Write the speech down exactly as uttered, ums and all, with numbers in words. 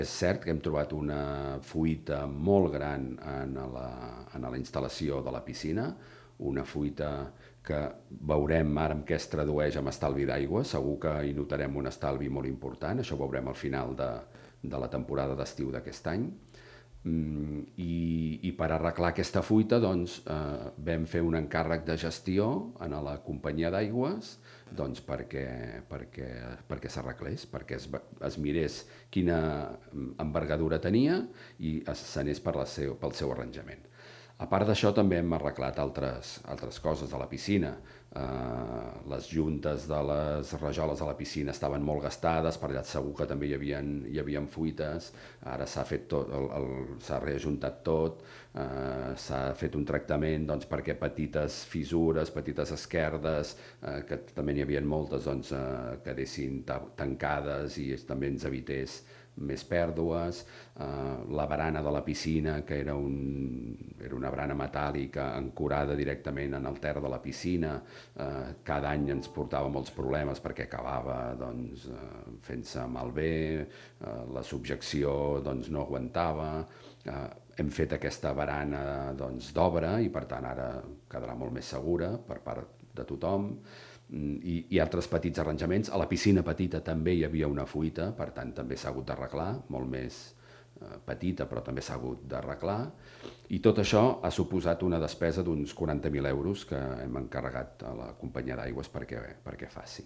És cert que hem trobat una fuita molt gran en la, en la instal·lació de la piscina, una fuita que veurem ara en què es tradueix amb estalvi d'aigua, segur que hi notarem un estalvi molt important, això ho veurem al final de, de la temporada d'estiu d'aquest any. Mm, i, i per arreglar aquesta fuita doncs, eh, vam fer un encàrrec de gestió a la companyia d'aigües doncs, perquè, perquè, perquè s'arreglés, perquè es, es mirés quina envergadura tenia i s'anés per la seu, pel seu arranjament. A part d'això també hem arreglat altres, altres coses de la piscina. Uh, les juntes de les rajoles de la piscina estaven molt gastades, per allà segur que també hi havia, hi havia fuites, ara s'ha fet tot, el, el, s'ha reajuntat tot, uh, s'ha fet un tractament doncs, perquè petites fissures, petites esquerdes, uh, que també n'hi havia moltes, doncs, uh, quedessin tancades i també ens evités més pèrdues. Uh, la barana de la piscina, que era, un, era una barana metàl·lica ancorada directament en el ter de la piscina, uh, cada any ens portava molts problemes perquè acabava doncs, uh, fent-se malbé, uh, la subjecció doncs, no aguantava. Uh, hem fet aquesta barana doncs, d'obra i per tant ara quedarà molt més segura per part de tothom. I, i altres petits arranjaments. A la piscina petita també hi havia una fuita, per tant també s'ha hagut d'arreglar, molt més eh, petita però també s'ha hagut d'arreglar, i tot això ha suposat una despesa d'uns quaranta mil euros que hem encarregat a la companyia d'aigües perquè, perquè faci.